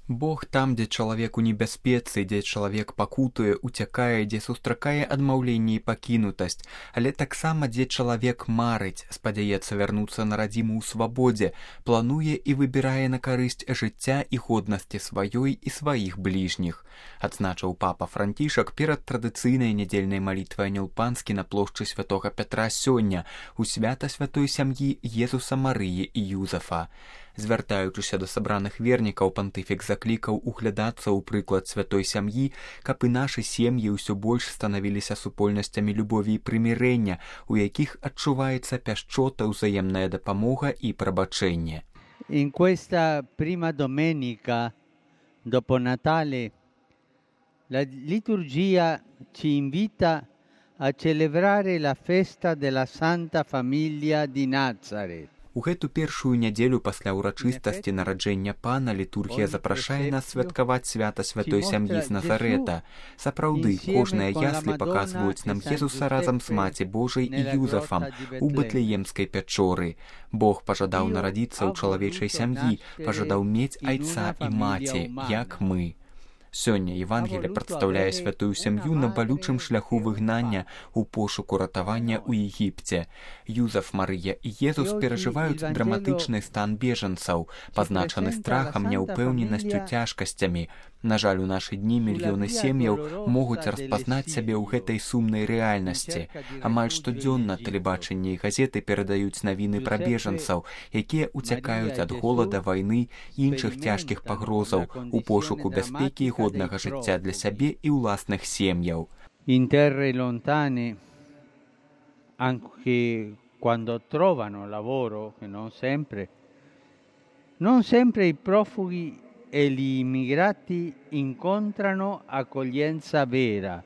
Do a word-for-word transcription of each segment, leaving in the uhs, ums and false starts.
Бог там, дзе чалавек у небяспецы, дзе чалавек пакутуе, уцякае, дзе сустракае адмаўленне і пакінутасць, але таксама дзе чалавек марыць, спадзяецца вярнуцца на радзіму ў свабодзе, плануе і выбірае на карысць жыцця і годнасці сваёй і сваіх бліжніх. Адзначыў папа Францішак перад традыцыйнай нядзельнай малітвай Анёл Панскі на плошчы святога Пятра сёння у свята святой сям'і Езуса, Марыі і Юзафа. Звяртаючыся да сабраных вернікаў, пантыфік заклікаў углядацца ў прыклад святой сям'і, каб і нашы сем'і ўсё больш станавіліся супольнасцямі любові і прымірэння, у якіх адчуваецца пяшчота, ўзаемная дапамога і прабачэнне. In questa prima domenica dopo Natale la liturgia ci invita a celebrare la festa della Santa Famiglia di Nazaret. У гэту першую нядзелю пасля ўрачыстасці нараджэння Пана літургія запрашае нас святкаваць свята святой сям'і з Назарэта. Сапраўды, кожныя яслі паказваюць нам Езуса разам з Маці Божай і Юзафам у Бэтлеемскай пячоры. Бог пажадаў нарадзіцца ў чалавечай сям'і, пажадаў мець айца і маці, як мы. Сёння Евангелие прадстаўляе святую сям'ю на балючым шляху выгнання ў пошуку ратавання ў Егіпце. Юзаф, Марыя і Езус перажываюць драматычны стан бежанцаў, пазначаны страхам, няўпэўненасцю, цяжкасцямі. На жаль, у нашы дні мільёны сем'яў могуць распазнаць сябе ў гэтай сумнай рэальнасці. Амаль штодзённа тэлебачанне і газеты перадаюць навіны пра бежанцаў, якія ўцякаюць ад голада, вайны і іншых цяжкіх пагрозаў у пошуку бяспекі і годнага жыцця для сябе і ўласных сем'яў. In terre lontane, anche quando trovano lavoro, che non sempre, non sempre i profughi e gli immigrati incontrano accoglienza vera.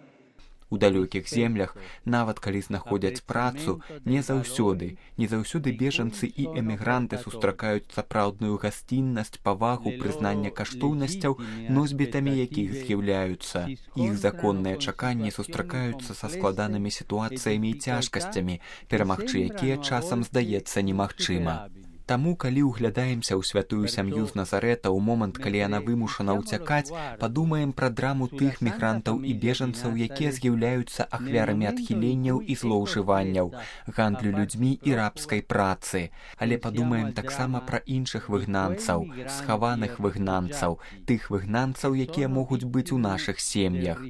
У далёкіх землях, нават калі знаходзяць працу, не заўсёды, не заўсёды бежанцы і эмігранты сустракаюць сапраўдную гасціннасць, павагу, прызнанне каштоўнасцяў, носьбітамі якіх з'яўляюцца. Іх законныя чаканні сустракаюцца са складанымі сітуацыямі і цяжкасцямі, перамагчы якія часам здаецца немагчыма. Таму, калі ўглядаемся ў святую сям'ю з Назарэта ў момант, калі яна вымушана ўцякаць, падумаем пра драму тых мігрантаў і бежанцаў, якія з'яўляюцца ахвярамі адхіленняў і злоўжыванняў, гандлю людзьмі і рабскай працы. Але падумаем таксама пра іншых выгнанцаў, схаваных выгнанцаў, тых выгнанцаў, якія могуць быць у нашых сем'ях.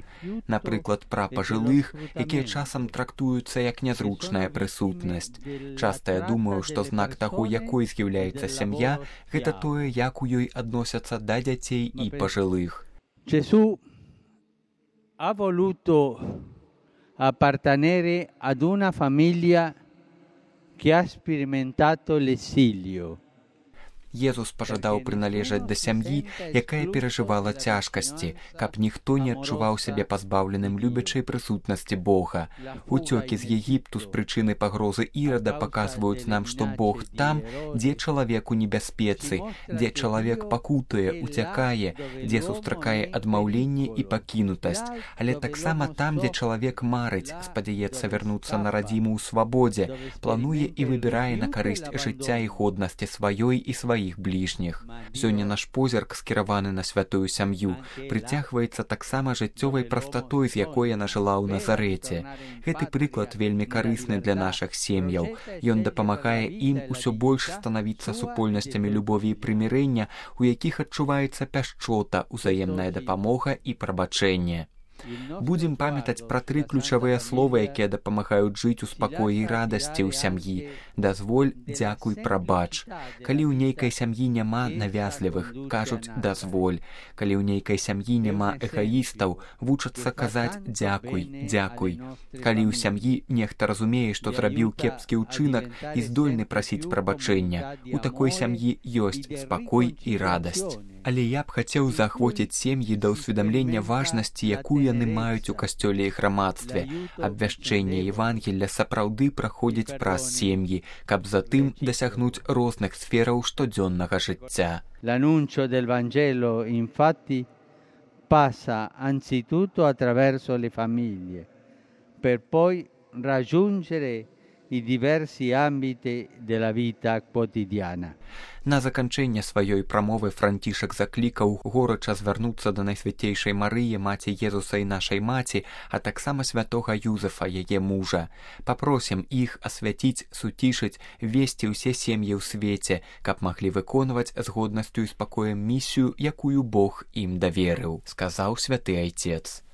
Напрыклад, пра пажылых, якія часам трактуюцца як нязручная прысутнасць. Часта я думаю, што знак таго, якой з'яўляецца сям'я, гэта тое, як у ёй адносяцца да дзяцей і пажылых. Gesù ha voluto appartenere ad una famiglia che ha sperimentato l'esilio. Езус пажадаў прыналежаць да сям'і, якая перажывала цяжкасці, каб ніхто не адчуваў сябе пазбаўленым любячай прысутнасці Бога. Уцёкі з Егіпту з прычыны пагрозы Ірада паказваюць нам, што Бог там, дзе чалавек у небяспецы, дзе чалавек пакутуе, уцякае, дзе сустракае адмаўленне і пакінутасць, але таксама там, дзе чалавек марыць, спадзяецца вярнуцца на радзіму ў свабодзе, плануе і выбірае на карысць жыцця і годнасці сваёй і сваёй іх бліжніх. Сёння наш позірк, скіраваны на святую сям'ю, прыцягваецца таксама жыццёвай прастатой, з якой яна жыла ў Назарэце. Гэты прыклад вельмі карысны для нашых сем'яў. Ён дапамагае ім усё больш станавіцца супольнасцямі любові і прымірэння, у якіх адчуваецца пяшчота, узаемная дапамога і прабачэнне. Будзем памятаць пра тры ключавыя словы, якія дапамагаюць жыць у спакоі і радасці ў сям'і. Дазволь, дзякуй, прабач. Калі ў нейкай сям'і няма навязлівых, кажуць дазволь. Калі ў нейкай сям'і няма эгаістаў, вучацца казаць дзякуй, дзякуй. Калі ў сям'і нехта разумее, што зрабіў кепскі ўчынак і здольны прасіць прабачэння, у такой сям'і ёсць спакой і радасць. Але я б хацеў заахвоціць сем'і да ўсведамлення важнасці, якую яны маюць у касцёле і грамадстве. Абвяшчэнне Евангелля сапраўды праходзіць праз сем'і, каб затым дасягнуць розных сфераў штодзённага жыцця. L'annuncio del Vangelo, infatti, passa anzitutto attraverso le famiglie, per poi raggiungere i diversi ambiti della vita quotidiana. На заканчэнне сваёй прамовы Францішак заклікаў горача звярнуцца да Найсвяцейшай Марыі, маці Езуса і нашай маці, а таксама святога Юзефа, яе мужа. Папросім іх асвяціць, суцішыць, весці ўсе сем'і ў свеце, каб маглі выконваць з годнасцю і спакоем місію, якую Бог ім даверыў, сказаў святы айцец.